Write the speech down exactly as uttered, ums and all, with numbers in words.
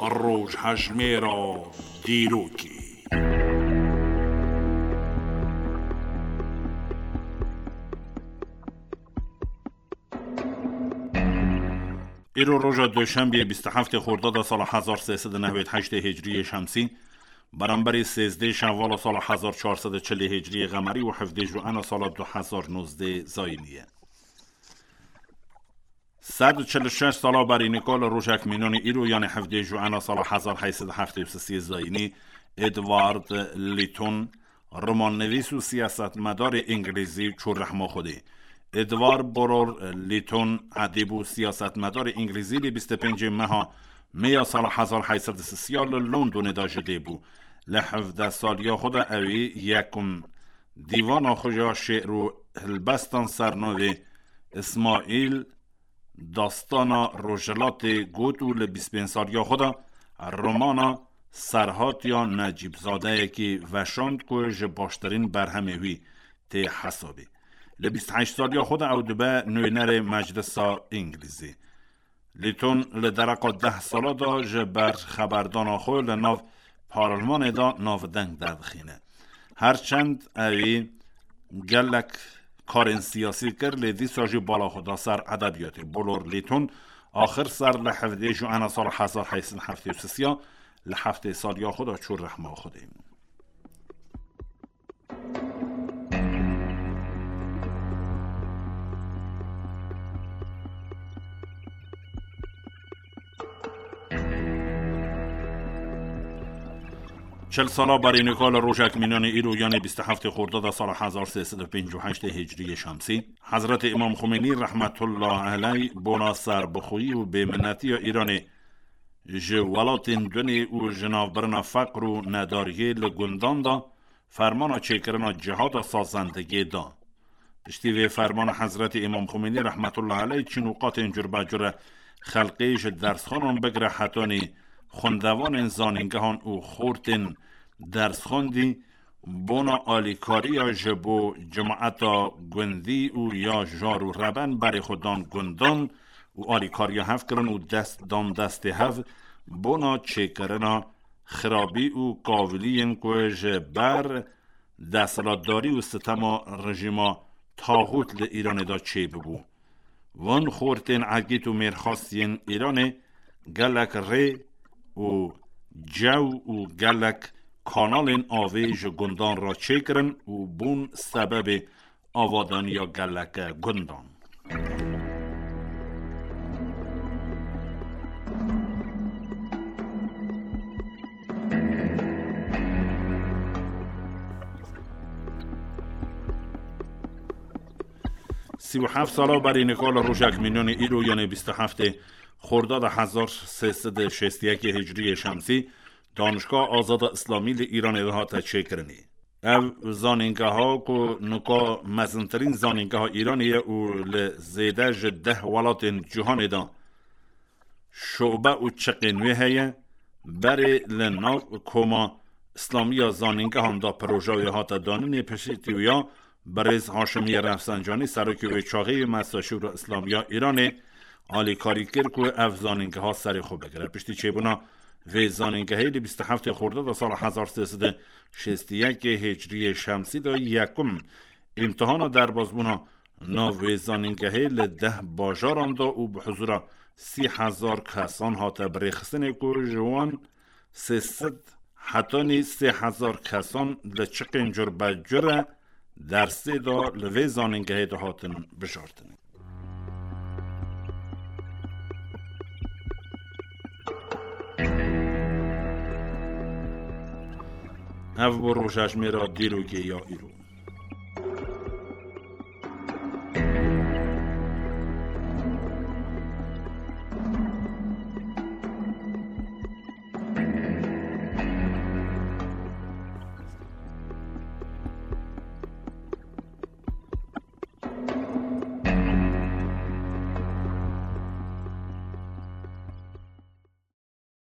Rojhejmêra dîrokê. Îro roja Duşenbeyê bîst û heftê Xordada sala hezar sê sed û newêd heştê Hicriyê Şemsî, beramberî sêzdeh Şewvala sala hezar çar sed û çilê Hicriyê Qemerî û hevdeh Juena sala du hezar nozdeh Zayînî ye. Sed û çil û şeş sala berî nika li rojek mînanî îro, yanê hevdeh Juena sala hezar heyt sed û heftê û sê Zayînî, Edward Lytton, romannivîs û siyasetmedarê îngilîzî çû rehma Xwedê. Edward Burrell Lytton, edîb û siyasetmedarê îngilîzî, li bîst û pêncê meha Meya sala hezar heyt sed û sî li Londonê de ji dê bû. Li hevdeh saliya xwe de ewî yekum dîvana xwe ya şê'r û helbestan sernavê Îsmaîl Dastana Rojhilatê got û li bîst pênc saliya xwe de romana Serhatiya Necîbzadeyekî veşand ku ji baştirîn berhemê wî tê hesabê. Li bîst heşt saliya xwe de ew dibe nûnerê Meclisa Îngilîzî. Lîton li dereqa deh sala de ji ber xeberdana xwe li nav parlemanê de navdeng derdixîne. Her çend ewî gelek karên siyasî kir, lê dîsa jî bala xwe da ser edebiyatê. Bolor Lîton axir ser li hevdê Juena sala hezar heyt sed heftê û sê li heftê saliya xwe de çû rehma Xwedê. Çil sala berî nika li rojek mînanê îro, yanê bîst û heftê Xordada sala hezar sê sed û pêncî û heştê Hicriyê Şemsî, Hezretê Îmam Xumênî rehmetullah eleyh bona serbixweyî û bêminetiya Îranê ji welatên dunê û ji navbirina feqr û nedariyê li gundan de fermana çêkirina cihada sazendegê da. Piştî vê fermana Hezretî Îmam Xumênî rehmetullah eleyh çîn û qatên curbecure xelkê ji dersxanan bigire hetanî xwendevanên zanîngehan û xortên dersxandî bona alîkariya ji bo cemaeta gundî û ya jar û reben berê xwe dan gundan û alîkariya hev kirin û dest dan destê hev bona çêkirina xirabî û kaviliyên ku ji ber desthilatdarî û sitema rejîma taxût li Îranê de çêbibû. Van xortên egît û mêrxas yên Îranê gelek rê û cew û gelek kanalên avê ji gundan re çêkirin û bûn sebebê avadaniya geleke gundan. Sî û heft sala berî nika li rojek mînanî îro, yanê bîst û heftê Xordada hezar sê sed û şêst û yekê Hicriyê Şemsî, Danişga Azada Îslamî li Îranê de hate çêkirinê. Ev zanîngeha ku nika mezintirîn zanîngeha Îranê ye û li zêde ji deh welatên cîhanê de şobe û çiqên wê heye, berê li nav Koma Îslamî ya Zanîngehan de proja wê hate danînê. Piştî wî ya birêz Haşimî Refsencanî, serokê wê çaxê yê Meclisa Şûra Îslamî ya Îranê alîkarî kir ku ev zanîngeha serê xwe bigire. Piştî çêbûna vê zanîngehê li bîst û heftê Xordada sala hezar sê sed û şêst û yekê Hicriyê Şemsî de yekum îmtihana derbazbûna nav wê zanîngehê li deh bajaran de û bi huzura sî hezar kesan hate birêxistinê ku ji wan sê sed hetanî sê hezar kesan li çiqên curbecure dersê de li vê zanîngehê de hatin bijartin. Ev bû rojejmêra dîrokê ya îro.